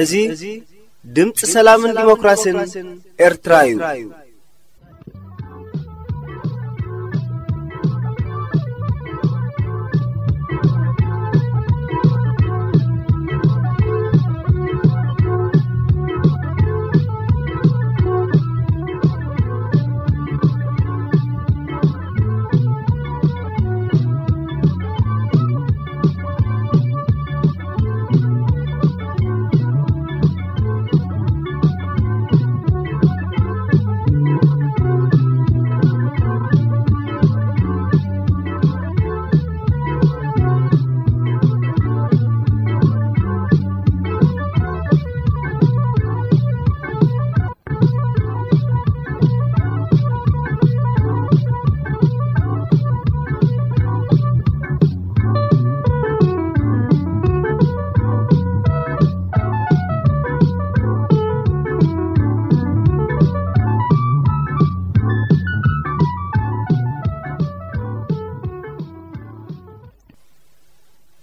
እዚ ድምፂ ሰላምን ዲሞክራሲን ኤርትራ እዩ።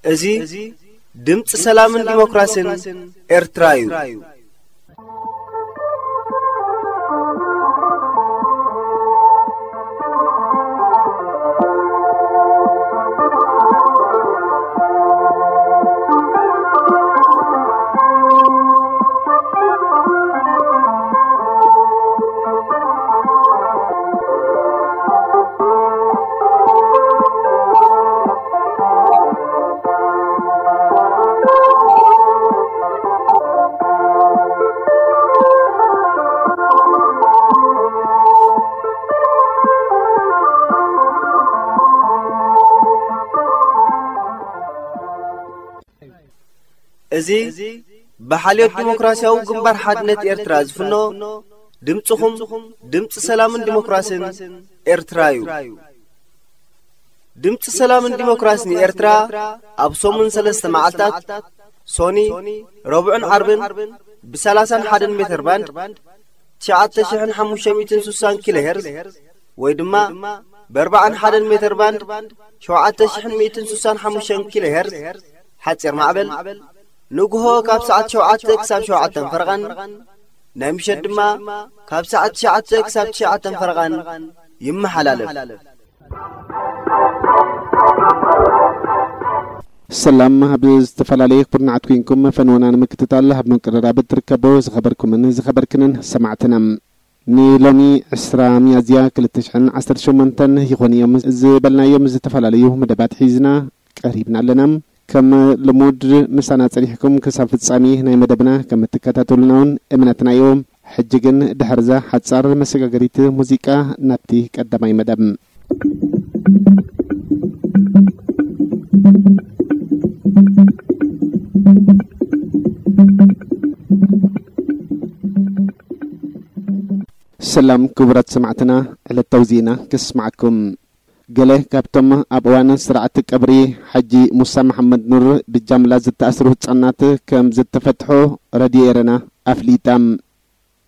እዚ ድምፂ ሰላምን ዲሞክራሲን ኤርትራ እዩ። እዚ ብሓልዮት ዲሞክራሲያዊ ግንባር ሓድነት ኤርትራ ዝፍኖ ድምፅኹም ድምፂ ሰላምን ዲሞክራሲን ኤርትራ እዩ። ድምፂ ሰላምን ዲሞክራሲን ኤርትራ ኣብ ሰሙን ሰለስተ መዓልታት ሶኒ፣ ረቡዕን ዓርብን ብ ሰላሳን ሓደን ሜተር ባንድ ትሽዓተ ሽሕን ሓሙሽተ ሚእትን ስሳን ኪሎ ሄርዝ ወይ ድማ ብ ኣርባዓን ሓደን ሜተር ባንድ ሸውዓተ ሽሕን ሚእትን ስሳን ሓሙሽተን ኪሎ ሄርዝ ሓፂር ማዕበል ንግሆ ካብ ሰዓት ሸውዓተ ክሳብ ሸውዓተን ፈረቓን ናይ ምሸት ድማ ካብ ሰዓት ትሽዓተ ክሳብ ትሽዓተን ፈረቓን ይመሓላለፍ። ሰላም ኣብ ዝተፈላለየ ኩርናዓት ኮንኩም ፈንወና ንምክትታል ኣብ ምቅርራብ እትርከቡ ዝኸበርኩምን ዝኸበርክንን ሰማዕትና፣ ንሎሚ ዕስራ ሚያዝያ ክልተ ሽሕን ዓሰርተ ሸሞንተን ይኾኑ እዮም ዝበልናዮም ዝተፈላለዩ መደባት ሒዝና ቀሪብና ኣለና። ከም ልሙድ ምሳና ጸኒሕኩም ክሳብ ፍጻሜ ናይ መደብና ከም እትከታተሉና እውን እምነትና እዩ። ሕጂ ግን ድሕርዛ ሓጻር መሰጋገሪት ሙዚቃ ናብቲ ቀዳማይ መደብ። ሰላም ክቡራት ሰማዕትና፣ ዕለታዊ ዜና ከስማዓኩም። ገለ ካብቶም ኣብ እዋን ስርዓት ቀብሪ ሓጂ ሙሳ መሓመድ ኑር ብጃምላ ዝተኣስሩ ህጻናት ከም ዝተፈትሑ ረድዮ ኤረና ኣፍሊጣ።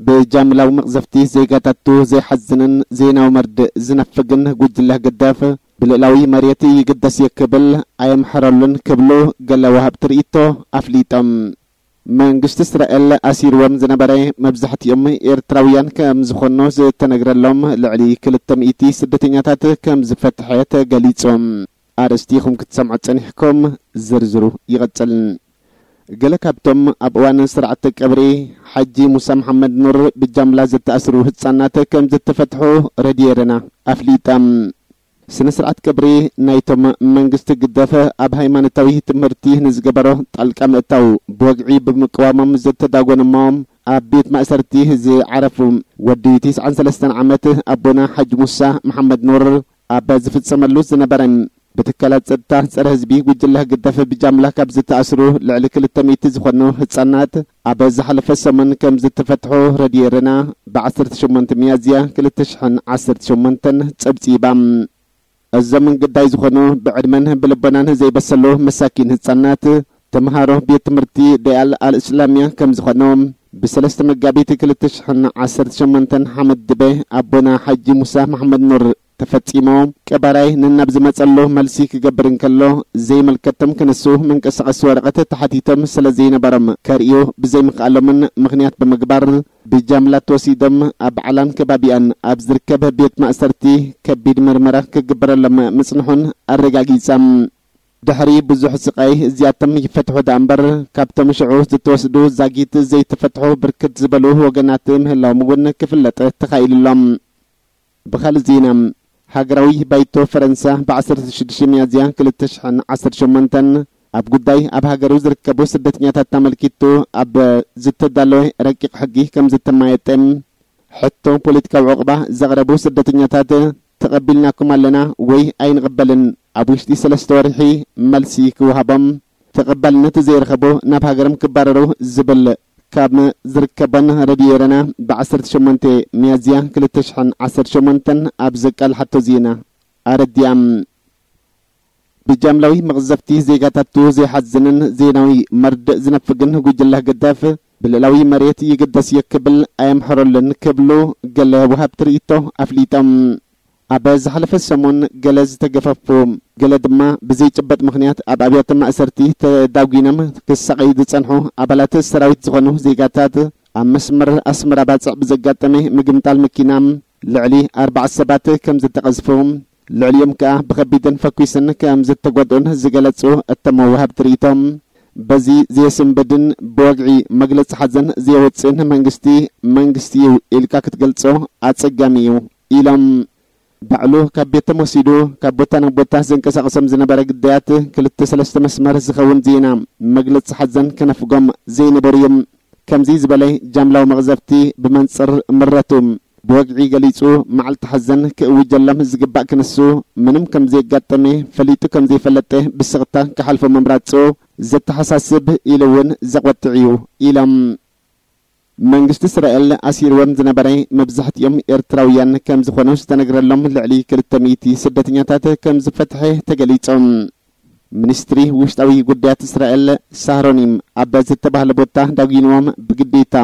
ብጃምላዊ መቕዘፍቲ ዜጋታቱ ዘይሓዝንን ዜናዊ መርድእ ዝነፍግን ጉጅለ ህግደፍ ብልእላዊ መሬት ይግደስ እዩ ክብል ኣየምሕረሉን ክብሉ ገለ ወሃብቲ ርእይቶ ኣፍሊጦም። መንግስቲ እስራኤል ኣሲርዎም ዝነበረ መብዛሕትኦም ኤርትራውያን ከም ዝኾኑ ዝተነግረሎም ልዕሊ ክልተ ሚእቲ ስደተኛታት ከም ዝፈትሐ ተገሊጹ። ኣርእስቲ ኢኹም ክትሰምዑ ጸኒሕኩም። ዝርዝሩ ይቕጽል። ገለ ካብቶም ኣብ እዋን ስርዓተ ቀብሪ ሓጂ ሙሳ መሓመድ ኑር ብጃምላ ዝተኣስሩ ህጻናት ከም ዝተፈትሑ ረድዮ ኤረና ኣፍሊጣ። ስነ ስርዓት ቀብሪ ናይቶም መንግስቲ ግደፈ ኣብ ሃይማኖታዊ ትምህርቲ ንዝገበሮ ጣልቃ ምእታው ብወግዒ ብምቅዋሞም ዝተዳጎኑ እሞ ኣብ ቤት ማእሰርቲ ዝዓረፉ ወዲ ትስዓን ሰለስተን ዓመት ኣቦና ሓጂ ሙሳ መሓመድ ኑር ኣብ ዝፍጸመሉ ዝነበረ ብትካላት ጸጥታ ጸረ ህዝቢ ጉጅለ ህግደፍ ብጃምላ ካብ ዝተኣስሩ ልዕሊ ክልተ ሚእቲ ዝኾኑ ህጻናት ኣብ ዝሓለፈ ሰሙን ከም ዝተፈትሑ ረድዮ ኤረና ብዓሰርተ ሸሞንተ ሚያዝያ ክልተ ሽሕን ዓሰርተ ሸሞንተን ጸብጺባ። እዞም ግዳይ ዝኾኑ ብዕድመን ብልቦናን ዘይበሰሉ መሳኪን ህጻናት ተምሃሮ ቤት ትምህርቲ ደያል ኣልእስላሚያ ከም ዝኾኑ ብሰለስተ መጋቢት ክልተ ሽሕን ዓሰርተ ሸሞንተን ሓመድ ድበ ኣቦና ሓጂ ሙሳ መሓመድ ኑር ተፈጺሙ። ቀባራይ ነናብ ዝመጸሉ መልሲ ክገብር እንከሎ ዘይመልከቶም ክነሱ መንቀሳቐሲ ወረቐት ተሓቲቶም ስለ ዘይነበሮም ከርእዩ ብዘይምኽኣሎምን ምኽንያት ብምግባር ብጃምላ ተወሲዶም ኣብ ዓላን ከባቢኣን ኣብ ዝርከብ ቤት ማእሰርቲ ከቢድ ምርመራ ክግበረሎም ምጽንሑን ኣረጋጊጸም። ድሕሪ ብዙሕ ስቓይ እዚኣቶም ይፈትሑ ደኣ እምበር ካብቶም ሽዑ ዝተወስዱ ዛጊት ዘይተፈትሑ ብርክት ዝበሉ ወገናት ምህላዎም እውን ክፍለጥ ተኻኢሉ ኣሎ። ብኻልእ ዜና፣ ሃገራዊ ባይቶ ፈረንሳ ብዓሰርተ ሽዱሽተ ሚያዝያ ክልተ ሽሕን ዓሰርተ ሸሞንተን ኣብ ጉዳይ ኣብ ሃገሩ ዝርከቡ ስደተኛታት ኣመልኪቱ ኣብ ዝተዳለወ ረቂቕ ሕጊ ከም ዝተማየጠ፣ ሕቶ ፖለቲካዊ ዕቑባ ዘቕረቡ ስደተኛታት ተቐቢልናኩም ኣለና ወይ ኣይንቕበልን፣ ኣብ ውሽጢ ሰለስተ ወርሒ መልሲ ክወሃቦም፣ ተቐባልነት ዘይረኸቡ ናብ ሃገሮም ክባረሩ ዝብል ካብ ዝርከበን ረድዮ ኤረና ብዓሰርተ ሸሞንተ ሚያዝያ ክልተ ሽሕን ዓሰርተ ሸሞንተን ኣብ ዘቃልሓቶ ዜና ኣረዲኣም። ብጃምላዊ መቕዘፍቲ ዜጋታቱ ዘይሓዝንን ዜናዊ መርድእ ዝነፍግን ጉጅለ ህግደፍ ብልዕላዊ መሬት ይግደስ እየ ክብል ኣየምሕረሉን ክብሉ ገለ ወሃብቲ ርእይቶ ኣፍሊጦም። ኣብ ዝሓለፈ ሰሙን ገለ ዝተገፈፉ፣ ገለ ድማ ብዘይጭበጥ ምኽንያት ኣብ ኣብያተ ማእሰርቲ ተዳጒኖም ክሳቐዩ ዝጸንሑ ኣባላት ሰራዊት ዝኾኑ ዜጋታት ኣብ መስመር ኣስመራ ባጽዕ ብዘጋጠመ ምግምጣል መኪና ልዕሊ ኣርባዕተ ሰባት ከም ዝተቐዝፉ፣ ልዕሊኦም ከኣ ብኸቢድን ፈኲስን ከም ዝተጎድኡን ዝገለጹ እቶም ወሃብቲ ርእይቶ፣ በዚ ዘየስንብድን ብወግዒ መግለጺ ሓዘን ዘየወጽእን መንግስቲ፣ መንግስቲ እዩ ኢልካ ክትገልጾ ኣጸጋሚ እዩ ኢሎም። ባዕሉ ካብ ቤቶም ወሲዱ ካብ ቦታ ናብ ቦታ ዘንቀሳቕሶም ዝነበረ ግዳያት ክልተ ሰለስተ መስመር ዝኸውን ዜና መግለጺ ሓዘን ከነፍጎም ዘይነበሩ እዮም። ከምዚ ዝበለ ጃምላዊ መቕዘፍቲ ብመንጽር ምረቱ ብወግዒ ገሊጹ መዓልቲ ሓዘን ክእውጀሎም ዝግባእ ክንሱ ምንም ከም ዘየጋጠመ ፈሊጡ ከም ዘይፈለጠ ብስቕታ ክሓልፎ ምምራጹ ዘተሓሳስብ ኢሉ እውን ዘቖጥዕ እዩ ኢሎም። መንግስቲ እስራኤል ኣሲርዎም ዝነበረ መብዛሕትኦም ኤርትራውያን ከም ዝኾኑ ዝተነግረሎም ልዕሊ ክልተ ሚእቲ ስደተኛታት ከም ዝፈትሐ ተገሊጾም። ሚኒስትሪ ውሽጣዊ ጉዳያት እስራኤል ሳህሮኒም ኣብ ዝተባህለ ቦታ ዳጒንዎም ብግዴታ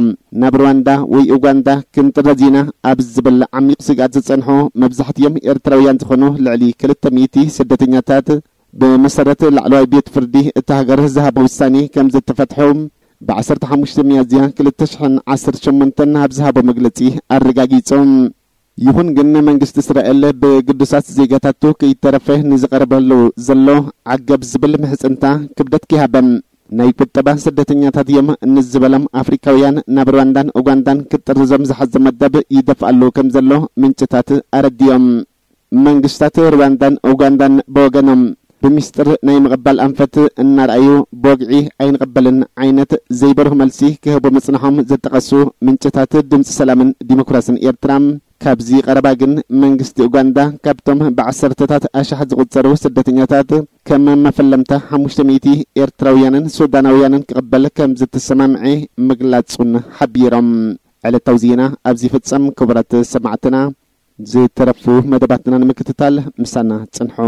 ናብ ሩዋንዳ ወይ ኡጋንዳ ክንጥረዝ ኢና ኣብ ዝብል ዓሚቕ ስግኣት ዝጸንሑ መብዛሕትኦም ኤርትራውያን ዝኾኑ ልዕሊ ክልተ ሚእቲ ስደተኛታት ብመሰረት ላዕለዋይ ቤት ፍርዲ እታ ሃገር ዝሃቦ ውሳኔ ከም ዝተፈትሑ ብዓሰርተ ሓሙሽተ ሚያዝያ ክልተ ሽሕን ዓሰርተ ሸሞንተን ኣብ ዝሃቦ መግለጺ ኣረጋጊጹ። ይኹን ግን መንግስቲ እስራኤል ብግዱሳት ዜጋታቱ ከይተረፈ ንዝቐርበሉ ዘሎ ዓገብ ዝብል ምሕጽንታ ክብደት ከይሃበ ናይ ቁጠባ ስደተኛታት እዮም ንዝበሎም ኣፍሪካውያን ናብ ሩዋንዳን ኡጋንዳን ክጥርዞም ዝሓዘ መደብ ይደፍኣሉ ከም ዘሎ ምንጭታት ኣረዲኦም። መንግስታት ሩዋንዳን ኡጋንዳን ብወገኖም ብሚስጥር ናይ ምቕባል ኣንፈት እናረኣዩ ብወግዒ ኣይንቕበልን ዓይነት ዘይበርሁ መልሲ ክህቡ ምጽንሖም ዝጠቐሱ ምንጭታት ድምፂ ሰላምን ዲሞክራስን ኤርትራ ካብዚ ቀረባ ግን መንግስቲ ኡጋንዳ ካብቶም ብዓሰርተታት ኣሽሓት ዝቑጸሩ ስደተኛታት ከም መፈለምታ ሓሙሽተ ሚእቲ ኤርትራውያንን ሱዳናውያንን ክቕበል ከም ዝተሰማምዐ ምግላጹን ሓቢሮም። ዕለታዊ ዜና ኣብዚ ፍጸም። ክቡራት ሰማዕትና ዝተረፉ መደባትና ንምክትታል ምሳና ጽንሑ።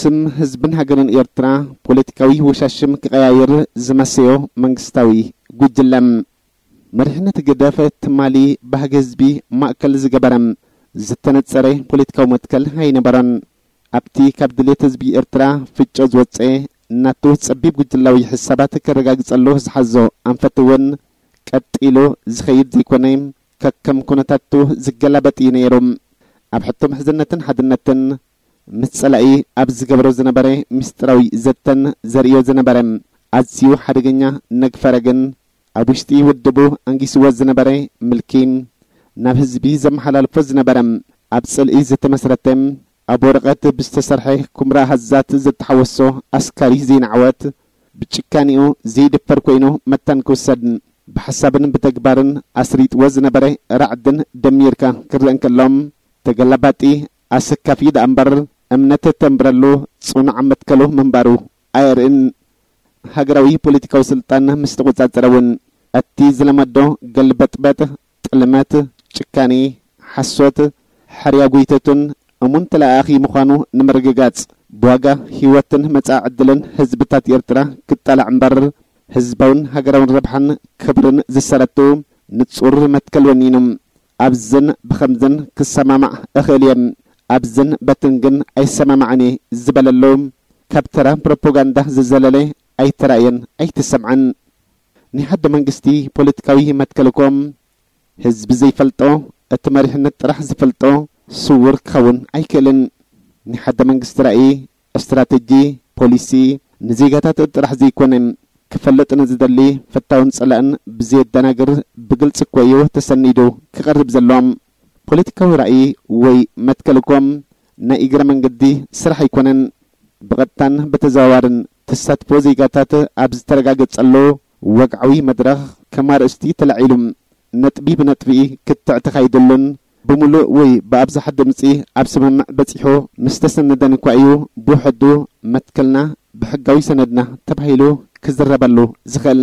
ሕትም ህዝብን ሃገርን ኤርትራ ፖለቲካዊ ወሻሽም ክቐያይር ዝመሰዮ መንግስታዊ ጉጅለ። መሪሕነት ህግደፍ ትማሊ ባህጊ ህዝቢ ማእከል ዝገበረ ዝተነጸረ ፖለቲካዊ መትከል ኣይነበሮን። ኣብቲ ካብ ድሌት ህዝቢ ኤርትራ ፍጮ ዝወጸ ናቱ ጸቢብ ጉጅላዊ ሕሳባት ከረጋግጸሉ ዝሓዞ ኣንፈት እውን ቀጢሉ ዝኸይድ ዘይኮነ፣ ከከም ኩነታቱ ዝገላበጥ እዩ ነይሩ። ኣብ ሕቶ ምሕዝነትን ሓድነትን ምስ ጸላኢ ኣብ ዝገብሮ ዝነበረ ምስጢራዊ ዘተን ዘርእዮ ዝነበረ ኣዝዩ ሓደገኛ ነግፈረ ግን፣ ኣብ ውሽጢ ውድቡ ኣንጊስዎ ዝነበረ ምልኪ፣ ናብ ህዝቢ ዘመሓላልፎ ዝነበረ ኣብ ጽልኢ ዝተመስረተ፣ ኣብ ወረቐት ብዝተሰርሐ ኩምራ ሃዛት ዘተሓወሶ ኣስካሪ ዘይንዓወት፣ ብጭካኔኡ ዘይድፈር ኮይኑ መታን ክውሰድ፣ ብሓሳብን ብተግባርን ኣስሪጥዎ ዝነበረ ራዕድን ደሚርካ ክረአ እንከሎ፣ ተገላባጢ ኣሰካፊ ደኣ እምበር፣ እምነት ተንብረሉ ጽኑዕ መትከሉ ምንባሩ ኣየርእን። ሃገራዊ ፖለቲካዊ ስልጣን ምስ ተቖጻጸረ እውን፣ እቲ ዝለመዶ ገልበጥበጥ፣ ጥልመት፣ ጭካኔ፣ ሓሶት፣ ሕርያ ጎይተቱን እሙን ተለኣኣኺ ምዃኑ ንምርግጋጽ፣ ብዋጋ ህይወትን መጻኢ ዕድልን ህዝብታት ኤርትራ ክጣላዕ እምበር፣ ህዝባውን ሃገራውን ረብሓን ክብርን ዝሰረቱ ንጹር መትከል ወኒኑ፣ ኣብዝን ብኸምዝን ክሰማማዕ እኽእል እየ፣ ኣብዝን በትን ግን ኣይሰማማዕን እየ ዝበለሉ፣ ካብ ተራ ፕሮፓጋንዳ ዝዘለለ ኣይተራእየን ኣይተሰምዐን። ናይ ሓደ መንግስቲ ፖለቲካዊ መትከል እኮ ህዝቢ ዘይፈልጦ፣ እቲ መሪሕነት ጥራሕ ዝፈልጦ ስዉር ክኸውን ኣይክእልን። ናይ ሓደ መንግስቲ ራእይ፣ ስትራተጂ፣ ፖሊሲ ንዜጋታት ጥራሕ ዘይኮነ፣ ክፈልጥ ንዝደሊ ፈታውን ጸላእን ብዘየደናግር ብግልጺ እኮ እዩ ተሰኒዱ ክቐርብ ዘሎ። ፖለቲካዊ ራእይ ወይ መትከል እኮ ናይ እግረ መንገዲ ስራሕ ኣይኮነን። ብቐጥታን ብተዘዋዋርን ተሳትፎ ዜጋታት ኣብ ዝተረጋገጸሉ ወግዓዊ መድረኽ ከም ኣርእስቲ ተላዒሉ፣ ነጥቢ ብነጥቢ ክትዕ ተኻይደሉን ብምሉእ ወይ ብኣብዝሓ ድምጺ ኣብ ስምምዕ በጺሑ ምስ ተሰነደን እኳ እዩ ብውሕዱ መትከልና ብሕጋዊ ሰነድና ተባሂሉ ክዝረበሉ ዝኽእል።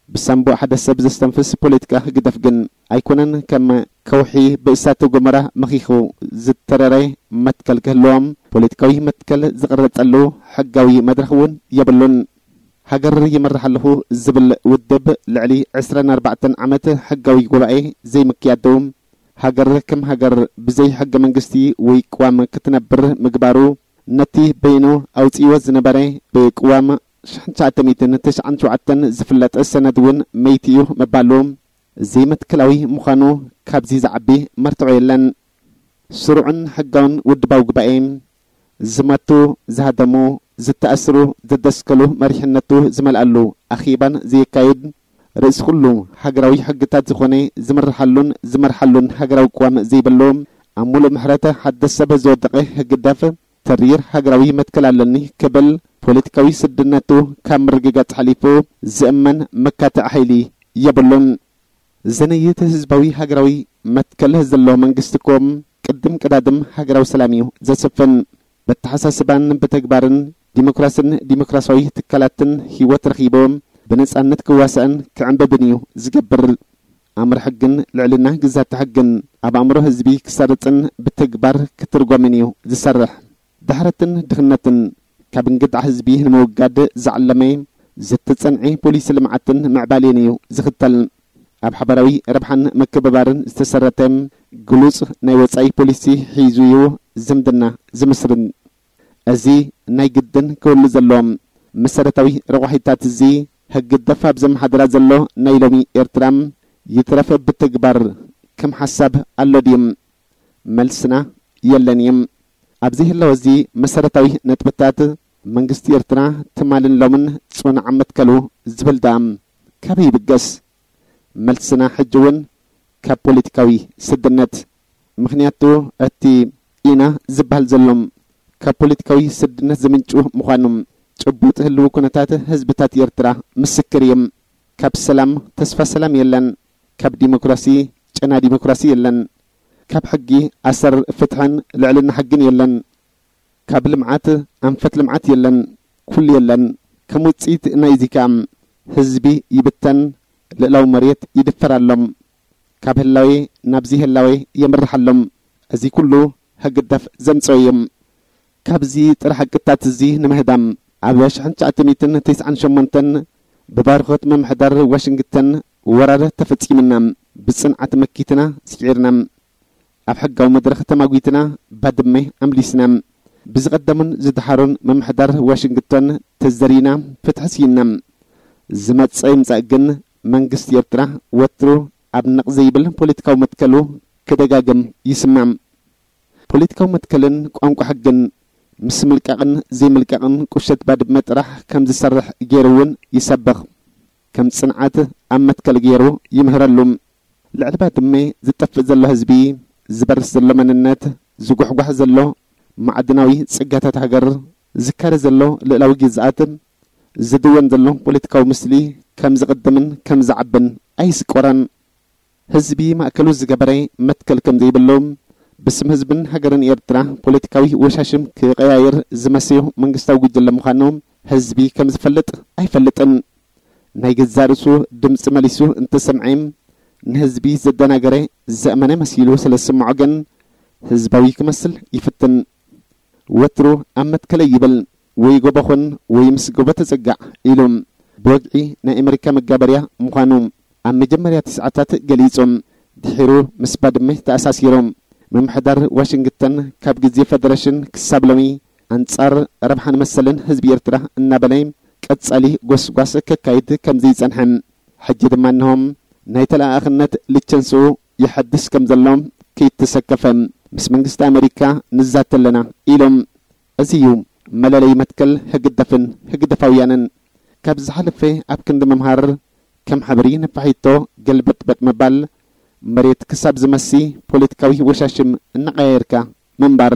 ብሳንቡእ ሓደ ሰብ ዘስተንፍስ ፖለቲካ ህግደፍ ግን ኣይኮነን ከም ከውሒ ብእሳተ ጎመራ መኺኹ ዝተረረ መትከል ክህልዎም። ፖለቲካዊ መትከል ዝቕረጸሉ ሕጋዊ መድረኽ እውን የብሉን። ሃገር ይመርሕ ኣለኹ ዝብል ውድብ ልዕሊ ዕስራን ኣርባዕተን ዓመት ሕጋዊ ጉባኤ ዘይምክያዱ፣ ሃገር ከም ሃገር ብዘይ ሕገ መንግስቲ ወይ ቅዋም ክትነብር ምግባሩ፣ ነቲ በይኑ ኣውጺእዎ ዝነበረ ብቅዋም ሽሕን ትሽዓተ ሚእትን ተስዓን ሸውዓተን ዝፍለጥ ሰነድ እውን መይትኡ ምባሉ ዘይመትከላዊ ምዃኑ ካብዚ ዝዓቢ መርትዖ የለን። ስሩዕን ሕጋውን ውድባዊ ጉባኤ፣ ዝመቱ፣ ዝሃደሙ፣ ዝተኣስሩ፣ ዘደስከሉ መሪሕነቱ ዝመልኣሉ ኣኼባን ዘየካይድ፣ ርእሲ ኩሉ ሃገራዊ ሕግታት ዝኾነ ዝምርሓሉን ዝመርሓሉን ሃገራዊ ቅዋም ዘይብሉ፣ ኣብ ሙሉእ ምሕረት ሓድሽ ሰብ ዝወደቐ ህግደፍ፣ ተሪር ሃገራዊ መትከል ኣለኒ ክብል ፖለቲካዊ ስድነቱ ካብ ምርግጋጽ ሓሊፉ ዝእመን መካትዒ ሓይሊ የብሉን። ዘነይት ህዝባዊ ሃገራዊ መትከል ዘሎ መንግስቲ እኮ ቅድም ቀዳድም ሃገራዊ ሰላም እዩ ዘስፍን። በተሓሳስባን ብተግባርን ዲሞክራስን ዲሞክራሲያዊ ትካላትን ህይወት ረኺቡ ብነጻነት ክዋሳእን ክዕንብብን እዩ ዝገብር። ኣምር ሕግን ልዕልና ግዛተ ሕግን ኣብ ኣእምሮ ህዝቢ ክሰርጽን ብተግባር ክትርጎምን እዩ ዝሰርሕ። ድሕረትን ድኽነትን ካብ እንግዳዕ ህዝቢ ንምውጋድ ዝዓለመ ዝተጸንዐ ፖሊሲ ልምዓትን ምዕባሌን እዩ ዝኽተል። ኣብ ሓባራዊ ረብሓን ምክብባርን ዝተሰረተ ግሉጽ ናይ ወጻኢ ፖሊሲ ሒዙ እዩ ዝምድና ዝምስርን። እዚ ናይ ግድን ክህሉ ዘለዎ መሰረታዊ ረቋሒታት እዚ ህግደፍ ኣብ ዘመሓድራ ዘሎ ናይ ሎሚ ኤርትራ ይትረፍ ብተግባር ከም ሓሳብ ኣሎ ድዩ? መልስና የለን እዩ። ኣብዚ ህላወ እዚ መሰረታዊ ነጥብታት መንግስቲ ኤርትራ ትማልን ሎምን ጽኑዕ መትከሉ ዝብል ደኣ ካበይ ይብገስ? መልስና ሕጂ እውን ካብ ፖለቲካዊ ስድነት። ምኽንያቱ እቲ ኢና ዝበሃል ዘሎ ካብ ፖለቲካዊ ስድነት ዝምንጩ ምዃኑ ጭቡጥ ህልዊ ኩነታት ህዝብታት ኤርትራ ምስክር እዩ። ካብ ሰላም ተስፋ ሰላም የለን። ካብ ዲሞክራሲ ጨና ዲሞክራሲ የለን። ካብ ሕጊ ኣሰር ፍትሕን ልዕልና ሕግን የለን። ካብ ልምዓት ኣንፈት ልምዓት የለን። ኩሉ የለን። ከም ውጽኢት ናይዚ ከኣ ህዝቢ ይብተን፣ ልእላዊ መሬት ይድፈር ኣሎ። ካብ ህላዌ ናብዚ ህላዌ የምርሕ ኣሎ። እዚ ኩሉ ህግደፍ ዘምጽኦ እዩ። ካብዚ ጥረ ሓቅታት እዚ ንምህዳም፣ ኣብ ሽሕን ትሽዓተ ሚእትን ተስዓን ሸሞንተን ብባርኾት ምምሕዳር ዋሽንግተን ወራር ተፈጺምና፣ ብጽንዓት መኪትና፣ ስዒርና፣ ኣብ ሕጋዊ መድረኽ ተማጒትና፣ ባድመ ኣምሊስና። ብዝቐደሙን ዝደሓሩን ምምሕዳር ዋሽንግተን ተዘሪና፣ ፍትሒ ስኢንና። ዝመጸ ይምጻእ ግን፣ መንግስቲ ኤርትራ ወትሩ ኣብ ነቕ ዘይብል ፖለቲካዊ መትከሉ ክደጋግም ይስማዕ። ፖለቲካዊ መትከልን ቋንቋ ሕግን፣ ምስ ምልቃቕን ዘይምልቃቕን ቁሸት ባድመ ጥራሕ ከም ዝሰርሕ ገይሩ እውን ይሰብኽ። ከም ጽንዓት ኣብ መትከል ገይሩ ይምህረሉ። ልዕሊ ባድመ ዝጠፍእ ዘሎ ህዝቢ፣ ዝበርስ ዘሎ መንነት፣ ዝጓሕጓሕ ዘሎ ማዕድናዊ ጸጋታት ሃገር፣ ዝካረ ዘሎ ልእላዊ ግዝኣት፣ ዝድወን ዘሎ ፖለቲካዊ ምስሊ ከም ዝቕድምን ከም ዝዓብን ኣይስቆረን። ህዝቢ ማእከሉ ዝገበረ መትከል ከም ዘይብሉ፣ ብስም ህዝብን ሃገርን ኤርትራ ፖለቲካዊ ወሻሽም ክቐያየር ዝመሰዮ መንግስታዊ ጉጅለ ምዃኑ ህዝቢ ከም ዝፈልጥ ኣይፈልጥን። ናይ ገዛእ ርእሱ ድምጺ መሊሱ እንተሰምዐ፣ ንህዝቢ ዘደናገረ ዘእመነ መሲሉ ስለ ዝስምዖ ግን፣ ህዝባዊ ክመስል ይፍትን። ወትሩ ኣብ መትከለይ ይብል፣ ወይ ጎቦ ኹን ወይ ምስ ጎቦ ተጸጋዕ ኢሉ። ብወግዒ ናይ ኣመሪካ መጋበርያ ምዃኑ ኣብ መጀመርያ ትስዓታት ገሊጹ። ድሒሩ ምስ ባድመ ተኣሳሲሩ። ምምሕዳር ዋሽንግተን ካብ ግዜ ፈደረሽን ክሳብ ሎሚ ኣንጻር ረብሓን መሰልን ህዝቢ ኤርትራ እናበለ ቀጻሊ ጎስጓስ ከካይድ ከም ዘይጸንሐ፣ ሕጂ ድማ እንሆ ናይ ተለኣኣኽነት ልቸንስኡ ይሐድስ ከም ዘሎ ከይተሰከፈ፣ ምስ መንግስቲ ኣመሪካ ንዛተ ኣለና ኢሎም። እዚ እዩ መለለይ መትከል ህግደፍን ህግደፋውያንን። ካብ ዝሓለፈ ኣብ ክንዲ ምምሃር፣ ከም ሓብሪ ነፋሒቶ ገልበጥበጥ ምባል፣ መሬት ክሳብ ዝመሲ ፖለቲካዊ ወሻሽም እናቐያየርካ ምንባር።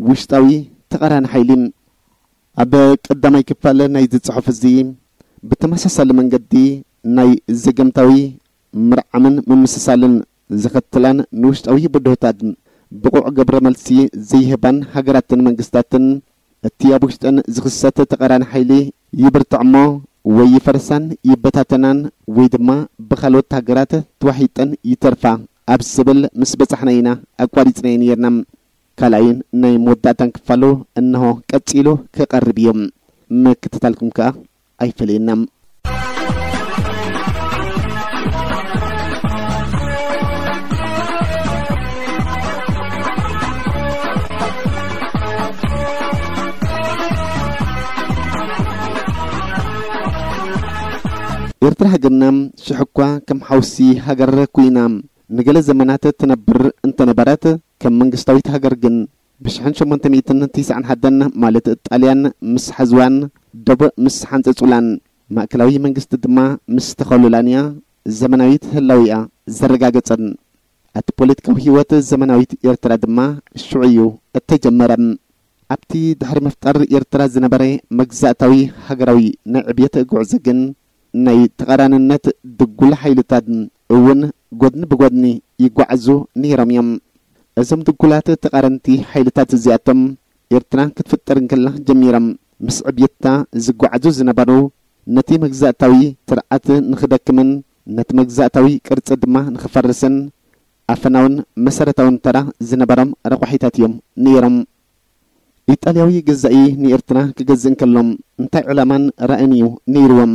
ውሽጣዊ ተቓራኒ ሓይሊ። ኣብ ቀዳማይ ክፋል ናይዚ ጽሑፍ እዚ፣ ብተመሳሳሊ መንገዲ ናይ ዘገምታዊ ምርዓምን ምምስሳልን ዘኸትላን ንውሽጣዊ ብድሆታት ብቑዕ ግብረ መልሲ ዘይህባን ሃገራትን መንግስታትን፣ እቲ ኣብ ውሽጠን ዝኽሰት ተቓራኒ ሓይሊ ይብርትዕ እሞ፣ ወይ ይፈርሳን ይበታተናን፣ ወይ ድማ ብኻልኦት ሃገራት ተዋሒጠን ይተርፋ ኣብ ዝብል ምስ በጻሕና ኢና ኣቋሪጽናዮ ነይርና። ካልኣይን ናይ መወዳእታን ክፋሉ እንሆ ቀጺሉ ክቐርብ እዩ። ምክትታልኩም ከኣ ኣይፈለየና። ኤርትራ ሃገርና ሽሕ እኳ ከም ሓውሲ ሃገር ኮይና ንገለ ዘመናት ትነብር እንተነበረት፣ ከም መንግስታዊት ሃገር ግን፣ ብሽሕን ሸሞንተ ሚእትን ትስዓን ሓደን ማለት ጣልያን ምስ ሓዝዋን ደቡብ ምስ ሓንጸጹላን፣ ማእከላዊ መንግስቲ ድማ ምስ ተኸሉላን እያ ዘመናዊት ህላዊኣ ዘረጋገጸን። ኣቲ ፖለቲካዊ ህይወት ዘመናዊት ኤርትራ ድማ ሽዑ እዩ እተጀመረ። ኣብቲ ድሕሪ ምፍጣር ኤርትራ ዝነበረ መግዛእታዊ ሃገራዊ ናይ ዕብየት ጉዕዞ ግን፣ ናይ ተቓራንነት ድጉል ሓይልታት እውን ጎድኒ ብጎድኒ ይጓዓዙ ነይሮም እዮም። እዞም ድጉላት ተቓረንቲ ሓይልታት እዚኣቶም፣ ኤርትራ ክትፍጠር እንከላ ጀሚሮም ምስ ዕብየታ ዝጓዓዙ ዝነበሩ፣ ነቲ መግዛእታዊ ስርዓት ንኽደክምን ነቲ መግዛእታዊ ቅርጺ ድማ ንኽፈርስን ኣፈናውን መሰረታውን ተራ ዝነበሮም ረቋሒታት እዮም ነይሮም። ኢጣልያዊ ገዛኢ ንኤርትራ ክገዝእ እንከሎ እንታይ ዕላማን ራእይን እዩ ነይርዎም?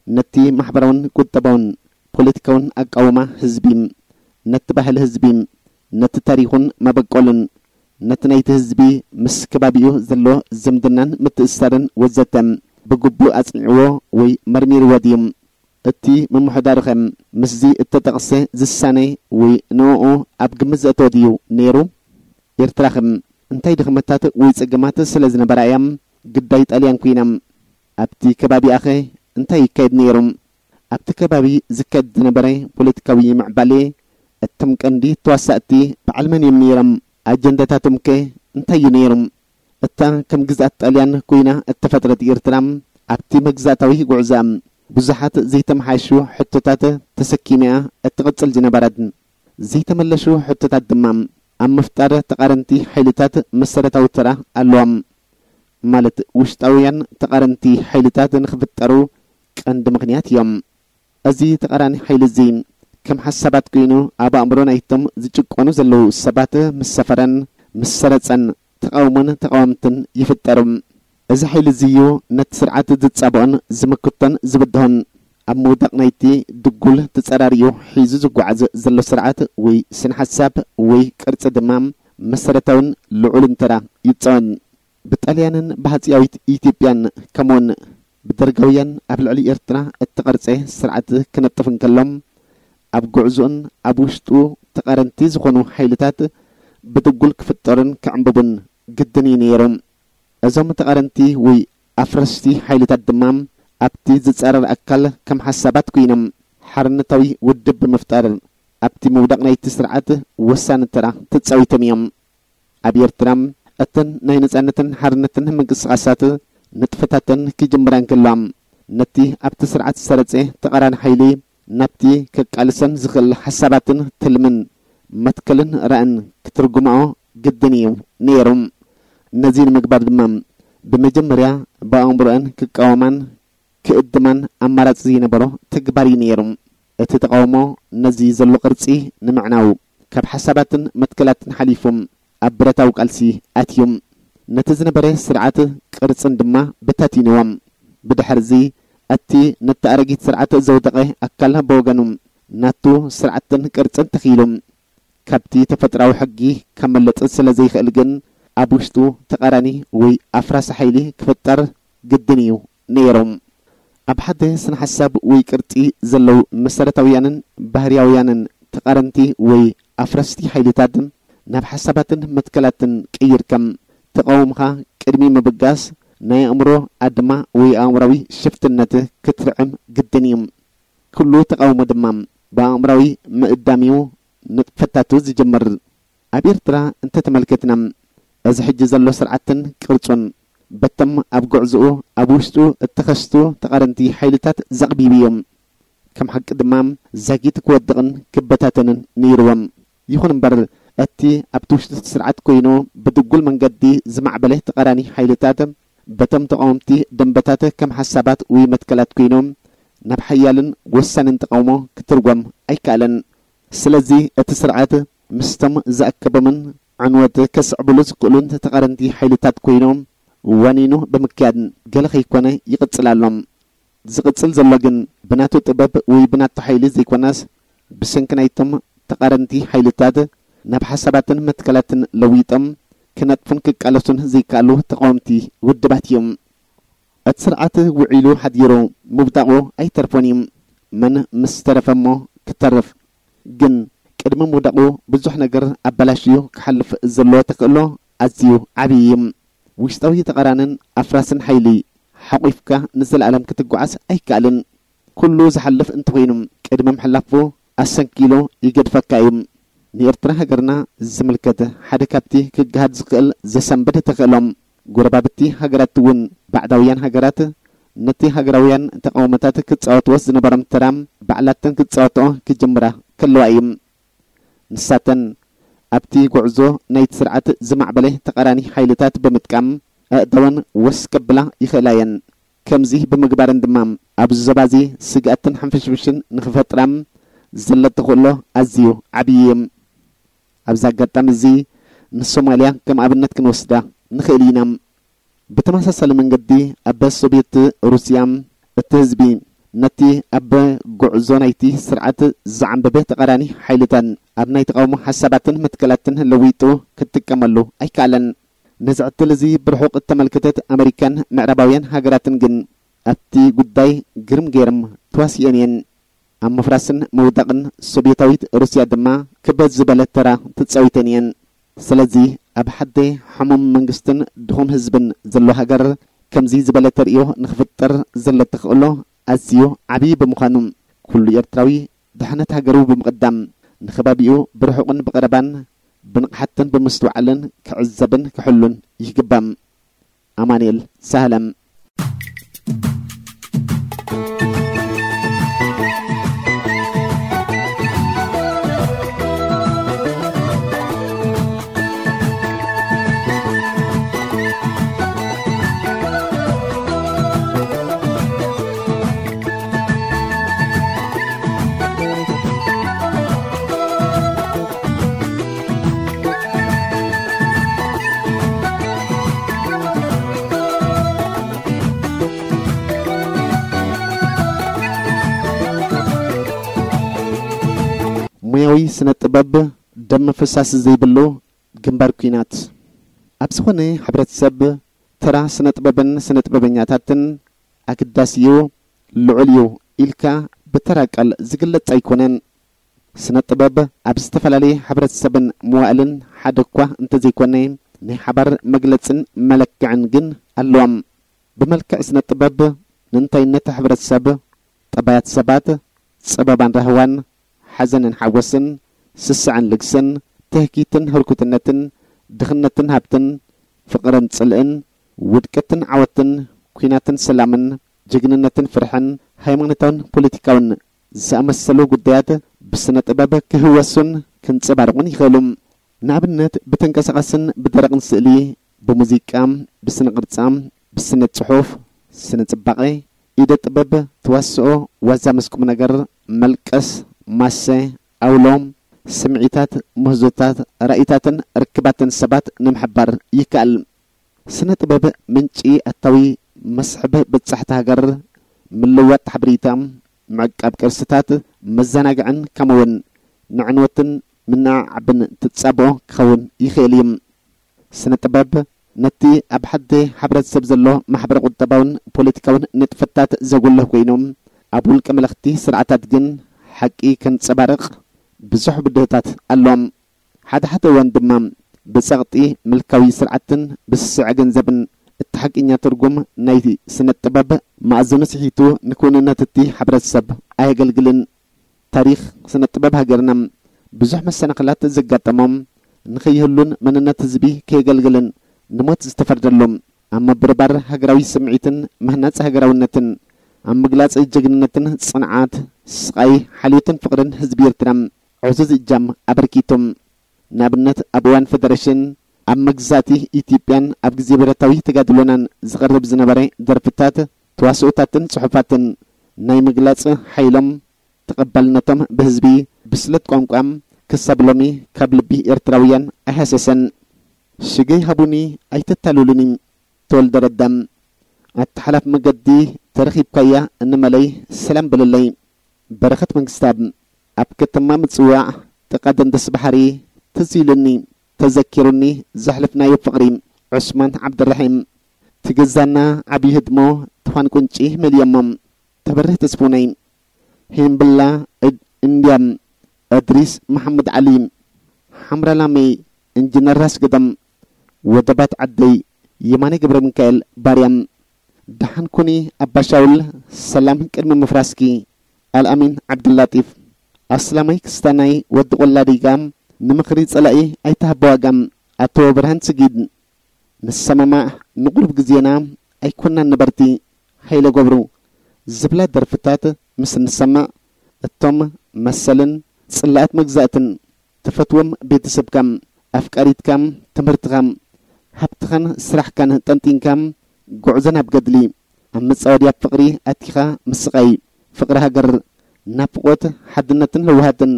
ነቲ ማሕበራውን ቁጠባውን ፖለቲካውን ኣቃውማ ህዝቢ፣ ነቲ ባህሊ ህዝቢ፣ ነቲ ታሪኹን መበቆልን፣ ነቲ ናይቲ ህዝቢ ምስ ከባቢኡ ዘሎ ዝምድናን ምትእስሳርን ወዘተ ብግቡእ ኣጽኒዕዎ ወይ መርሚርዎ ድዩ? እቲ ምምሕዳርኸ ምስዚ እተጠቕሰ ዝሳነ ወይ ንዕኡ ኣብ ግምት ዘእተወ ድዩ ነይሩ? ኤርትራኸ እንታይ ድኽመታት ወይ ጸገማት ስለ ዝነበራ እያ ግዳይ ጣልያን ኮይና? ኣብቲ ከባቢኣኸ እንታይ ይካየድ ነይሩ? ኣብቲ ከባቢ ዝካየድ ዝነበረ ፖለቲካዊ ምዕባለ፣ እቶም ቀንዲ ተዋሳእቲ በዓል መን እዮም ነይሮም? ኣጀንዳታቶምከ እንታይ እዩ ነይሩ? እታ ከም ግዝኣት ጣልያን ኮይና እተፈጥረት ኤርትራ፣ ኣብቲ መግዛእታዊ ጉዕዞኣ ብዙሓት ዘይተመሓየሹ ሕቶታት ተሰኪማ እትቕጽል ዝነበረት። ዘይተመለሹ ሕቶታት ድማ ኣብ ምፍጣር ተቓረንቲ ሓይልታት መሰረታዊ ተራ ኣለዎም። ማለት ውሽጣውያን ተቓረንቲ ሓይልታት ንኽፍጠሩ ቀንዲ ምኽንያት እዮም። እዚ ተቓራኒ ሓይሊ እዚ ከም ሓሳባት ኮይኑ ኣብ ኣእምሮ ናይቶም ዝጭቆኑ ዘለዉ ሰባት ምስ ሰፈረን ምስ ሰረጸን ተቓውሞን ተቓወምትን ይፍጠሩ። እዚ ሓይሊ እዚ እዩ ነቲ ስርዓት ዝጻብኦን ዝምክቶን ዝብድሆን። ኣብ ምውዳቕ ናይቲ ድጉል ተጸራሪኡ ሒዙ ዝጓዓዝ ዘሎ ስርዓት ወይ ስነ ሓሳብ ወይ ቅርጺ ድማ መሰረታውን ልዑልን ተራ ይጻወት። ብጣልያንን ብሃጺያዊት ኢትዮጵያን ከምኡውን ብደርጋውያን ኣብ ልዕሊ ኤርትራ እተቐርጸ ስርዓት ክነጥፍ እንከሎ፣ ኣብ ጉዕዞኡን ኣብ ውሽጡ ተቓረንቲ ዝኾኑ ሓይልታት ብድጉል ክፍጠሩን ክዕምብቡን ግድን እዩ ነይሩ። እዞም ተቓረንቲ ወይ ኣፍረስቲ ሓይልታት ድማ ኣብቲ ዝጻረር ኣካል ከም ሓሳባት ኮይኖም ሓርነታዊ ውድብ ብምፍጣር ኣብቲ ምውዳቕ ናይቲ ስርዓት ወሳኒ ተራ ተጻዊቶም እዮም። ኣብ ኤርትራ እተን ናይ ነጻነትን ሓርነትን ምንቅስቓሳት ንጥፈታተን ክጅምራ እንከለዋ፣ ነቲ ኣብቲ ስርዓት ዝሰረጸ ተቓራኒ ሓይሊ ናብቲ ከቃልሰን ዝኽእል ሓሳባትን ትልምን መትከልን ራእን ክትርጉማኦ ግድን እዩ ነይሩ። ነዚ ንምግባር ድማ ብመጀመርያ ብኣእምሮአን ክቃወማን ክእድማን ኣማራጺ ዘይነበሮ ተግባር እዩ ነይሩ። እቲ ተቓውሞ ነዚ ዘሎ ቅርጺ ንምዕናው ካብ ሓሳባትን መትከላትን ሓሊፉ ኣብ ብረታዊ ቃልሲ ኣትዩ። ነቲ ዝነበረ ስርዓት ቅርጽን ድማ በታቲንዎ። ብድሕርዚ እቲ ነቲ ኣረጊት ስርዓት ዘውደቐ ኣካል ብወገኑ ናቱ ስርዓትን ቅርጽን ተኺሉ ካብቲ ተፈጥራዊ ሕጊ ከመልጥ ስለ ዘይኽእል ግን ኣብ ውሽጡ ተቓራኒ ወይ ኣፍራሲ ሓይሊ ክፍጠር ግድን እዩ ነይሩ። ኣብ ሓደ ስነ ሓሳብ ወይ ቅርጺ ዘለዉ መሰረታውያንን ባህርያውያንን ተቓረንቲ ወይ ኣፍረስቲ ሓይልታት ናብ ሓሳባትን መትከላትን ቀይርካ ተቓውምኻ ቅድሚ ምብጋስ ናይ ኣእምሮ ኣድማ ወይ ኣእምራዊ ሽፍትነት ክትርዕም ግድን እዩ። ኩሉ ተቓውሞ ድማ ብኣእምራዊ ምእዳም እዩ ንጥፈታቱ ዝጅምር። ኣብ ኤርትራ እንተተመልከትና፣ እዚ ሕጂ ዘሎ ስርዓትን ቅርጹን በቶም ኣብ ጉዕዞኡ ኣብ ውሽጡ እተኸስቱ ተቓረንቲ ሓይልታት ዘቕቢቡ እዩ። ከም ሓቂ ድማ ዛጊት ክወድቕን ክበታተንን ነይርዎም። ይኹን እምበር፣ እቲ ኣብቲ ውሽጢ እቲ ስርዓት ኮይኑ ብድጉል መንገዲ ዝማዕበለ ተቓራኒ ሓይልታት በቶም ተቓወምቲ ደንበታት ከም ሓሳባት ወይ መትከላት ኮይኑ ናብ ሓያልን ወሳንን ተቓውሞ ክትርጎም ኣይከኣለን። ስለዚ እቲ ስርዓት ምስቶም ዝኣከቦምን ዕንወት ከስዕብሉ ዝኽእሉን ተቓረንቲ ሓይልታት ኮይኑ ዋኒኑ ብምክያድ ገለ ከይኮነ ይቕጽል ኣሎ። ዝቕጽል ዘሎ ግን ብናቱ ጥበብ ወይ ብናቱ ሓይሊ ዘይኮነስ ብሰንኪ ናይቶም ተቓረንቲ ሓይልታት ናብ ሓሳባትን መትከላትን ለዊጦም ክነጥፉን ክቃለሱን ዘይከኣሉ ተቓወምቲ ውድባት እዮም። እቲ ስርዓት ውዒሉ ሓዲሩ ምውዳቑ ኣይተርፎን እዩ። መን ምስ ተረፈ እሞ ክተርፍ። ግን ቅድሚ ምውዳቑ ብዙሕ ነገር ኣበላሽዩ ክሓልፍ ዘለዎ ተኽእሎ ኣዝዩ ዓብዪ እዩ። ውሽጣዊ ተቓራንን ኣፍራስን ሓይሊ ሓቑፍካ ንዘለኣለም ክትጓዓዝ ኣይከኣልን። ኩሉ ዝሓልፍ እንተኾይኑ ቅድሚ ምሕላፉ ኣሰንኪሉ ይገድፈካ እዩ። ንኤርትራ ሃገርና ዝምልከት ሓደ ካብቲ ክገሃድ ዝኽእል ዘሰንብድ ተኽእሎ፣ ጎረባብቲ ሃገራት እውን ባዕዳውያን ሃገራት ነቲ ሃገራውያን ተቓውሞታት ክጻወትዎ ዝነበሮም ተራ ባዕላተን ክጻወትኦ ክጅምራ ከለዋ እዩ። ንሳተን ኣብቲ ጉዕዞ ናይቲ ስርዓት ዝማዕበለ ተቓራኒ ሓይልታት ብምጥቃም ኣእዳወን ወስ ከብላ ይኽእላ እየን። ከምዚ ብምግባረን ድማ ኣብዚ ዞባ እዚ ስግኣትን ሕንፍሽፍሽን ንኽፈጥራ ዘለቶ ተኽእሎ ኣዝዩ ዓብዪ እዩ። ኣብዚ ኣጋጣሚ እዚ ንሶማልያ ከም ኣብነት ክንወስዳ ንኽእል ኢና። ብተመሳሳሊ መንገዲ ኣብ ሶቪየት ሩስያ እቲ ህዝቢ ነቲ ኣብ ጉዕዞ ናይቲ ስርዓት ዝዓንበበ ተቓራኒ ሓይልታት ኣብ ናይ ተቓውሞ ሓሳባትን መትከላትን ለዊጡ ክትጥቀመሉ ኣይከኣለን። ነዚ ዕድል እዚ ብርሑቕ እተመልከተት ኣመሪካን ምዕራባውያን ሃገራትን ግን ኣብቲ ጉዳይ ግርም ገይርም ተዋሲኦን እየን። ኣብ ምፍራስን ምውዳቕን ሶብየታዊት ሩስያ ድማ ክበድ ዝበለ ተራ ተጻዊተን እየን። ስለዚ ኣብ ሓደ ሕሙም መንግስትን ድኹም ህዝብን ዘሎ ሃገር ከምዚ ዝበለ ተርእዮ ንኽፍጠር ዘሎ ተኽእሎ ኣዝዩ ዓብዪ ብምዃኑ፣ ኩሉ ኤርትራዊ ድሕነት ሃገሩ ብምቕዳም፣ ንኸባቢኡ ብርሑቕን ብቐረባን ብንቕሓትን ብምስትውዓልን ክዕዘብን ክሕሉን ይግባእ። ኣማኑኤል ሳህለ። ሙያዊ ስነ ጥበብ ደም ምፍሳስ ዘይብሉ ግንባር ኲናት። ኣብ ዝኾነ ሕብረተሰብ ተራ ስነ ጥበብን ስነ ጥበበኛታትን ኣገዳሲ እዩ፣ ልዑል እዩ ኢልካ ብተራ ቃል ዝግለጽ ኣይኮነን። ስነ ጥበብ ኣብ ዝተፈላለየ ሕብረተሰብን መዋእልን ሓደ እኳ እንተዘይኮነ፣ ናይ ሓባር መግለጽን መለክዕን ግን ኣለዎም። ብመልክዕ ስነ ጥበብ ንእንታይነት ሕብረተሰብ፣ ጠባያት ሰባት፣ ጸበባን ራህዋን፣ ሓዘንን ሓጎስን፣ ስስዐን ልግስን፣ ትህኪትን ህርኩትነትን፣ ድኽነትን ሃብትን፣ ፍቕርን ጽልእን፣ ውድቀትን ዓወትን፣ ኲናትን ሰላምን፣ ጅግንነትን ፍርሕን፣ ሃይማኖታውን ፖለቲካውን ዝኣመሰሉ ጉዳያት ብስነ ጥበብ ክህወሱን ክንጸባረቑን ይኽእሉ። ንኣብነት፣ ብተንቀሳቓስን ብደረቕን ስእሊ፣ ብሙዚቃ፣ ብስነ ቅርጻ፣ ብስነ ጽሑፍ፣ ስነ ጽባቐ፣ ኢደ ጥበብ፣ ተዋስኦ፣ ዋዛ ምስ ቁም ነገር፣ መልቀስ፣ ማሰ፣ ኣውሎ፣ ስምዒታት፣ ምህዞታት፣ ራእይታትን ርክባትን ሰባት ንምሕባር ይከኣል። ስነ ጥበብ ምንጪ ኣታዊ፣ መስሕብ በጻሕቲ ሃገር፣ ምልዋጥ ሓበሬታ፣ ምዕቃብ ቅርስታት፣ መዘናግዕን ከምኡውን ንዕንወትን ምንዕዓብን ትጻብኦ ክኸውን ይኽእል እዩ። ስነ ጥበብ ነቲ ኣብ ሓደ ሕብረተሰብ ዘሎ ማሕበረ ቁጠባውን ፖለቲካውን ንጥፈታት ዘጉልህ ኮይኑ፣ ኣብ ውልቀ መለኽቲ ስርዓታት ግን ሓቂ ከንጸባርቕ ብዙሕ ብድሆታት ኣሎ። ሓደ ሓደ እዋን ድማ ብጸቕጢ ምልካዊ ስርዓትን ብስስዐ ገንዘብን እቲ ሓቀኛ ትርጉም ናይቲ ስነ ጥበብ መኣዝኑ ስሒቱ ንክውንነት እቲ ሕብረተሰብ ኣየገልግልን። ታሪኽ ስነ ጥበብ ሃገርና ብዙሕ መሰናኽላት ዘጋጠሞም፣ ንኸይህሉን መንነት ህዝቢ ከየገልግልን ንሞት ዝተፈርደሉ፣ ኣብ ምብርባር ሃገራዊ ስምዒትን ምህናጽ ሃገራውነትን ኣብ ምግላጽ ጀግንነትን ጽንዓት፣ ስቓይ፣ ሓልዮትን ፍቕርን ህዝቢ ኤርትራ ዕዙዝ እጃም ኣበርኪቱ። ንኣብነት፣ ኣብ እዋን ፈደረሽን ኣብ መግዛእቲ ኢትዮጵያን ኣብ ግዜ ብረታዊ ተጋድሎናን ዝቐርብ ዝነበረ ደርፍታት፣ ተዋስኦታትን ጽሑፋትን ናይ ምግላጽ ሓይሎም፣ ተቐባልነቶም ብህዝቢ፣ ብስለት ቋንቋ ክሳብ ሎሚ ካብ ልቢ ኤርትራውያን ኣይሃሰሰን። ሽገይ ሃቡኒ ኣይተታልሉኒ። ተወልደ ረዳ። ኣተሓላፍ መገዲ ተረኺብካያ እንመለይ ሰላም በለለይ። በረኸት መንግስታብ። ኣብ ከተማ ምጽዋዕ ጥቓ ደንደስ ባሕሪ ትዝ ኢሉኒ፣ ተዘኪሩኒ ዘሕለፍናዮ ፍቕሪ። ዑስማን ዓብደራሒም። ትገዛና ዓብዪ ህድሞ ትፋን ቁንጪ መሊኦሞ። ተበርህ ተስፉነይ። ሄምብላ እድ-፣ እንድያ። እድሪስ መሓመድ ዓሊ። ሓምራ ላመይ። ኢንጂነር ራስ ገዳም። ወደባት ዓደይ። የማነ ገብረ ሚካኤል ባርያም። ደሓን ኩኒ ኣባ ሻውል፣ ሰላም ቅድሚ ምፍራስኪ። ኣልኣሚን ዓብዱላጢፍ። ኣስላማይ ክስታናይ ወዲ ቆላ ዲጋ፣ ንምኽሪ ጸላኢ ኣይትሃቦ ዋጋ። ኣቶ ብርሃን ስጊድ። ንሰማማዕ ንቑሩብ ግዜና ኣይኮናን ነበርቲ። ሃይለ ገብሩ። ዝብላ ደርፍታት ምስ ንሰምዕ፣ እቶም መሰልን ጽላኣት መግዛእትን ትፈትዎም ቤተሰብካ፣ ኣፍቃሪትካ፣ ትምህርትኻ፣ ሃብትኻን ስራሕካን ጠንጢንካ፣ ጉዕዞ ናብ ገድሊ፣ ኣብ መጻወድያ ፍቕሪ ኣቲኻ ምስቓይ፣ ፍቕሪ ሃገር፣ ናፍቖት፣ ሓድነትን ለውሃትን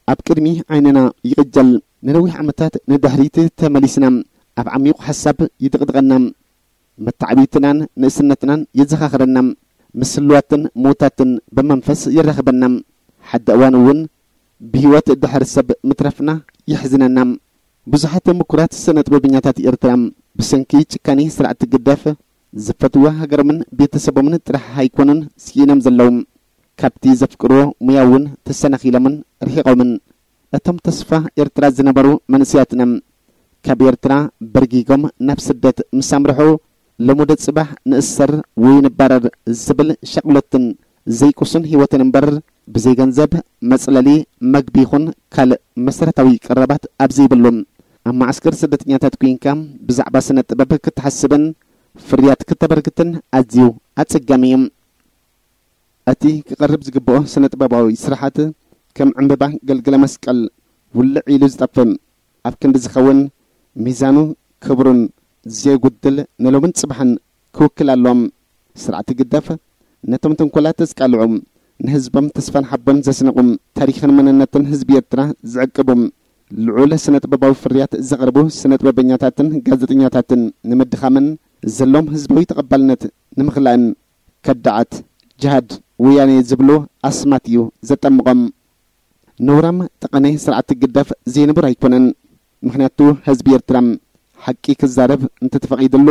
ኣብ ቅድሚ ዓይንና ይቕጀል። ንነዊሕ ዓመታት ንድሕሪት ተመሊስና፣ ኣብ ዓሚቑ ሓሳብ ይድቕድቐና። መተዓብይትናን ንእስነትናን የዘኻኽረና፣ ምስ ህሉዋትን ምዉታትን ብመንፈስ የራኽበና። ሓደ እዋን እውን ብህይወት ድሕሪ ሰብ ምትራፍና የሕዝነና። ብዙሓት ምኩራት ስነ ጥበበኛታት ኤርትራ ብሰንኪ ጭካኔ ስርዓት ህግደፍ ዝፈትዋ ሃገሮምን ቤተሰቦምን ጥራሕ ኣይኮኑን ስኢኖም ዘለዉ። ካብቲ ዘፍቅርዎ ሙያ እውን ተሰናኺሎምን ርሒቖምን። እቶም ተስፋ ኤርትራ ዝነበሩ መንእሰያትና ካብ ኤርትራ በርጊጎም ናብ ስደት ምስ ኣምርሑ፣ ለሙደ ጽባሕ ንእሰር ወይ ንባረር ዝብል ሻቕሎትን ዘይቅሱን ህይወትን እምበር፣ ብዘይ ገንዘብ መጽለሊ፣ መግቢ ይኹን ካልእ መሰረታዊ ቀረባት ኣብ ዘይብሉ፣ ኣብ መዓስከር ስደተኛታት ኮይንካ ብዛዕባ ስነ ጥበብ ክትሓስብን ፍርያት ክተበርክትን ኣዝዩ ኣጸጋሚ እዩ። እቲ ክቐርብ ዝግብኦ ስነ ጥበባዊ ስራሓት ከም ዕምባባ ገልገለ መስቀል ውልዕ ኢሉ ዝጠፍእ፣ ኣብ ክንዲ ዝኸውን ሚዛኑ ክብሩን ዘየጉድል ንሎምን ጽባሕን ክውክል ኣለዎም። ስርዓት ህግደፍ ነቶም ተንኮላት ዘቃልዑ፣ ንህዝቦም ተስፋን ሓቦን ዘስንቑ፣ ታሪኽን መንነትን ህዝቢ ኤርትራ ዝዕቅቡ፣ ልዑል ስነ ጥበባዊ ፍርያት ዘቕርቡ ስነ ጥበበኛታትን ጋዜጠኛታትን ንምድኻምን ዘለዎም ህዝባዊ ተቐባልነት ንምኽላእን ከዳዓት ጅሃድ ወያኔ ዝብሉ ኣስማት እዩ ዘጠምቖም። ነውራም ጠቐነ ስርዓት ህግደፍ ዘይንቡር ኣይኮነን። ምኽንያቱ ህዝቢ ኤርትራ ሓቂ ክዛረብ እንተተፈቒድሉ፣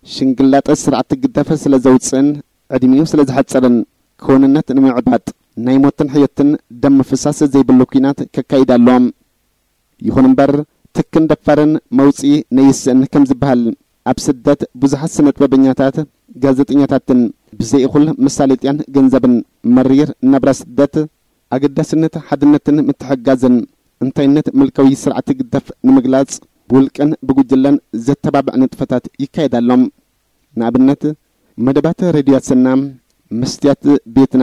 ሽንግላጠ ስርዓት ህግደፍ ስለ ዘውጽእን ዕድሚኡ ስለ ዝሓጸረን፣ ክውንነት ንምዕባጥ ናይ ሞትን ሕዮትን ደም ምፍሳስ ዘይብሉ ኲናት ከካይድ ኣሎ። ይኹን እምበር፣ ትክን ደፋርን መውጽኢ ነይስእን ከም ዝበሃል፣ ኣብ ስደት ብዙሓት ስነ ጥበበኛታት፣ ጋዜጠኛታትን ብዘይ እኹል መሳለጥያን ገንዘብን፣ መሪር ናብራ ስደት፣ ኣገዳስነት ሓድነትን ምትሕግጋዝን፣ እንታይነት ምልካዊ ስርዓት ህግደፍ ንምግላጽ፣ ብውልቅን ብጉጅለን ዘተባብዕ ንጥፈታት ይካየድ ኣሎ። ንኣብነት፣ መደባት ሬድዮ ኣሰና፣ መስትያት ቤትና፣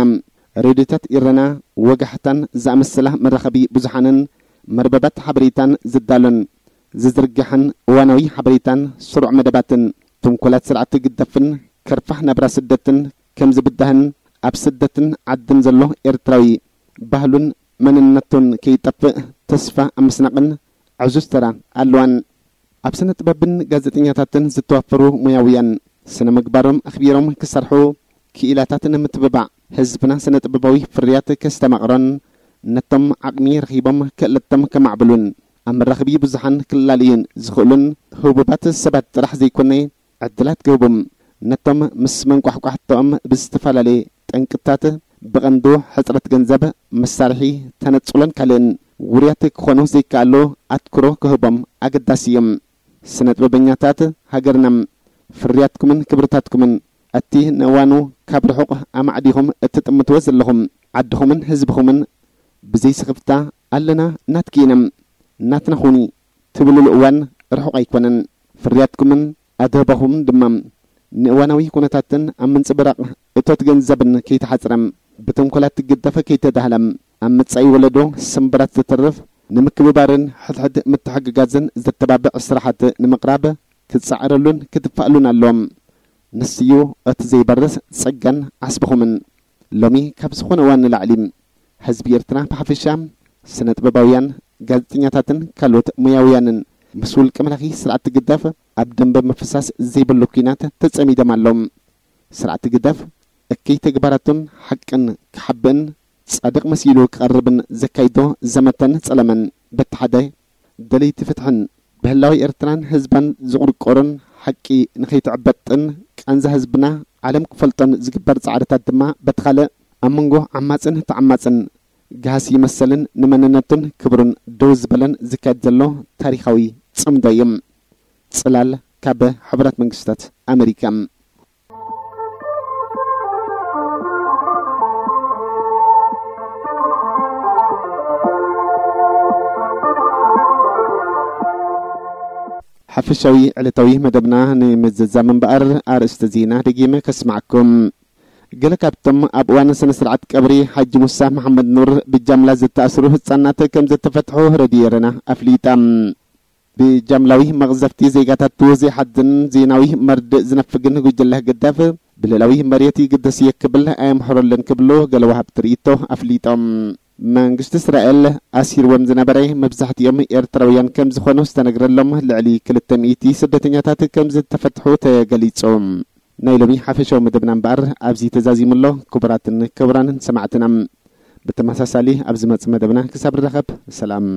ሬድዮታት ኢረና፣ ወጋሕታን ዝኣመሰላ መራኸቢ ብዙሓንን መርበባት ሓበሬታን ዝዳሎን ዝዝርግሕን እዋናዊ ሓበሬታን ስሩዕ መደባትን፣ ተንኮላት ስርዓት ህግደፍን ከርፋሕ ናብራ ስደትን ከም ዝብዳህን፣ ኣብ ስደትን ዓድን ዘሎ ኤርትራዊ ባህሉን መንነቱን ከይጠፍእ ተስፋ ኣብ ምስናቕን ዕዙዝ ተራ ኣለዋን። ኣብ ስነ ጥበብን ጋዜጠኛታትን ዝተዋፈሩ ሞያውያን፣ ስነ ምግባሮም ኣኽቢሮም ክሰርሑ፣ ክኢላታት ንምትብባዕ፣ ህዝብና ስነ ጥበባዊ ፍርያት ከስተማቕሮን፣ ነቶም ዓቕሚ ረኺቦም ክእለቶም ከማዕብሉን፣ ኣብ መራኸቢ ብዙሓን ክላለዩን ዝኽእሉን ህቡባት ሰባት ጥራሕ ዘይኮነ፣ ዕድላት ክህቡ፣ ነቶም ምስ መንቋሕቋሕተኦም ብዝተፈላለየ ጠንቅታት፣ ብቐንዱ ሕጽረት ገንዘብ፣ መሳርሒ፣ ተነጽሎን ካልእን፣ ውሩያት ክኾኑ ዘይከኣሉ ኣትኩሮ ክህቦም ኣገዳሲ እዩ። ስነ ጥበበኛታት ሃገርና፣ ፍርያትኩምን ክብርታትኩምን፣ እቲ ንእዋኑ ካብ ርሑቕ ኣማዕዲኹም እትጥምትዎ ዘለኹም፣ ዓድኹምን ህዝብኹምን ብዘይ ስኽፍታ ኣለና፣ ናትኪ ኢና፣ ናትና ኹኒ ትብሉሉ እዋን ርሑቕ ኣይኮነን። ፍርያትኩምን ኣድህቦኹምን ድማ ንእዋናዊ ኩነታትን ኣብ ምንጽብራቕ እቶት ገንዘብን ከይተሓጽረ፣ ብተንኮላት ትግደፍ ከይተዳህለ፣ ኣብ መጻኢ ወለዶ ስምብራት ዝተርፍ፣ ንምክብባርን ሕድሕድ ምትሕግጋዝን ዘተባብዕ ስራሓት ንምቕራብ ክትጻዕረሉን ክትፋእሉን ኣለዎም። ንስዩ እቲ ዘይበርስ ጸጋን ዓስብኹምን። ሎሚ ካብ ዝኾነ እዋን ንላዕሊ፣ ህዝቢ ኤርትራ ብሓፈሻ፣ ስነ ጥበባውያን፣ ጋዜጠኛታትን ካልኦት ሞያውያንን ምስ ውልቀ መላኺ ስርዓት ትግደፍ ኣብ ደንበ ምፍሳስ ዘይብሉ ኲናት ተጸሚዶም ኣለዉ። ስርዓት ትግደፍ እከይ ተግባራቱን ሓቅን ክሓብእን ጻድቕ መሲሉ ክቐርብን ዘካይዶ ዘመተን ጸለመን፣ በቲ ሓደ ደለይቲ ፍትሕን ብህላዊ ኤርትራን ህዝባን ዝቑርቆርን፣ ሓቂ ንኸይትዕበጥን ቃንዛ ህዝብና ዓለም ክፈልጦን ዝግበር ጻዕርታት ድማ በቲ ካልእ፣ ኣብ መንጎ ዓማጽን ተዓማጽን ገሃሲ መሰልን ንመንነቱን ክብሩን ደው ዝበለን ዝካየድ ዘሎ ታሪኻዊ ጽምዶ እዩ። ጽላል ካብ ሕቡራት መንግስታት ኣመሪካ። ሓፈሻዊ ዕለታዊ መደብና ንምዝዛም እምበኣር፣ ኣርእስተ ዜና ደጊመ ከስማዕኩም። ገለ ካብቶም ኣብ እዋን ስነ ስርዓት ቀብሪ ሓጂ ሙሳ መሓመድ ኑር ብጃምላ ዝተኣስሩ ህጻናት ከም ዝተፈትሑ ረድዮ ኤረና ኣፍሊጣ። ብጃምላዊ መቕዘፍቲ ዜጋታቱ ዘይሓዝን ዜናዊ መርድእ ዝነፍግን ጉጅለ ህግደፍ፣ ብልእላዊ መሬት ይግደስ እየ ክብል ኣየምሕረሉን ክብሉ ገለ ወሃብቲ ርእይቶ ኣፍሊጦም። መንግስቲ እስራኤል ኣሲርዎም ዝነበረ መብዛሕትኦም ኤርትራውያን ከም ዝኾኑ ዝተነግረሎም ልዕሊ ክልተ ሚእቲ ስደተኛታት ከም ዝተፈትሑ ተገሊጹ። ናይ ሎሚ ሓፈሻዊ መደብና እምበኣር ኣብዚ ተዛዚሙ ኣሎ። ክቡራትን ክቡራንን ሰማዕትና፣ ብተመሳሳሊ ኣብ ዝመጽእ መደብና ክሳብ ንራኸብ፣ ሰላም።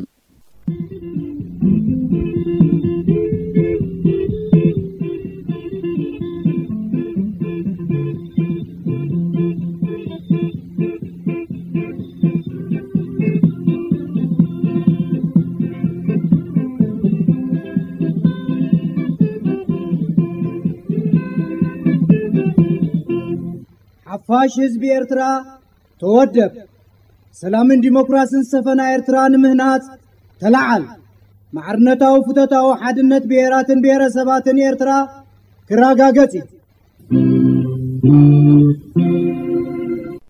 ሓፋሽ ህዝቢ ኤርትራ ተወደብ። ሰላምን ዲሞክራስን ዝሰፈና ኤርትራ ንምህናጽ ተላዓል። ማዕርነታዊ ፍቶታዊ ሓድነት ብሄራትን ብሄረሰባትን ኤርትራ ክረጋገጽ እዩ።